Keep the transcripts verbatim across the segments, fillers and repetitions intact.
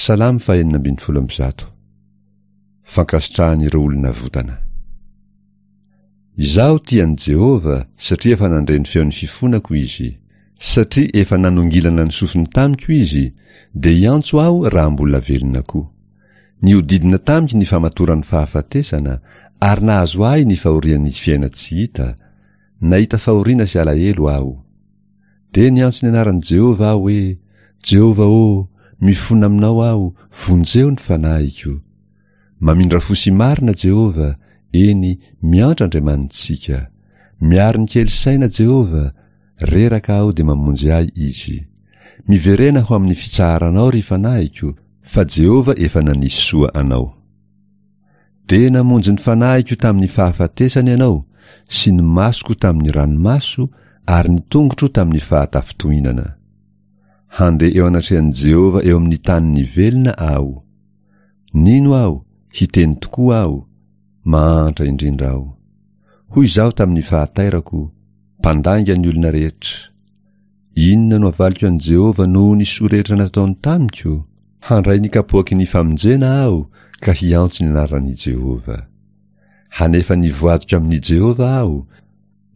Salamo fahenina ambin'ny folo amby zato. Fankasitrahan'ireo olona votana. Izaho tia an'i Jehovah satria efa nandre ny feon'ny fifonako izy. Satria efa nanongilana ny sofiny tamiko izy, dia hiantso aho raha mbola velona koa. Nihodidina tamiko ny famatoran'ny fahafatesana ary nahazo ahy ny fahorian'ny fiaina-tsy hita. Nahita fahoriana sy alahelo aho. Dia niantso ny anaran'i Jehovah aho hoe, Jehovah ô, mifona aminao aho, vonjeo ny fanahiko. Mamindra fo sy marina Jehovah, eny, miantra Andriamanitsika. Miaro ny kely saina Jehovah, reraka aho dia mamonjy ahy izy. Miverena ho amin'ny fitsaharanao ry fanahiko, fa Jehovah efa nanisy soa anao. Dia namonjy ny fanahiko tamin'ny fahafatesana ianao, sy ny masoko tamin'ny ranomaso, ary ny tongotro tamin'ny fahatafintohinana. Handeha eo anatrehan'i Jehovah eo amin'ny tanin'ny velona aho. Nino aho, hiteny tokoa aho, mahantra indrindra aho. Hoy izaho tamin'ny fahatairako, mpandainga ny olona rehetra. Inona no avaliko an'i Jehovah noho ny soa rehetra nataony tamiko? Handray ny kapoaky ny famonjena aho ka hiantso ny anaran'i Jehovah. Hanefa ny voadiko amin'i Jehovah aho,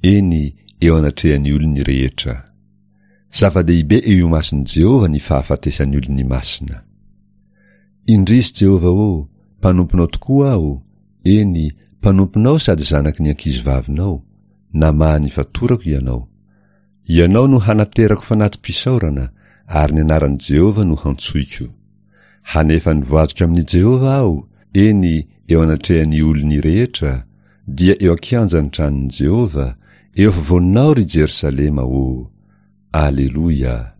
eny, eo anatrehan'ny olony rehetra. Zava-dehibe eo imason'i Jehovah ny fahafatesan'ny olony masina. Indrisy Jehovah ô, mpanomponao tokoa aho, eny, mpanomponao sady zanaky ny ankizivavinao, namaha ny fatorako ianao. Ianao no hanaterako fanati-pisaorana, ary ny anaran'i Jehovah no hantsoiko. Hanefa ny voadiko amin'i Jehovah aho, eny, eo anatrehan'ny olony rehetra, dia eo an-kianjan'ny tranon'i Jehovah, eo afovoanao ry Jerosalema ô. Aleloia!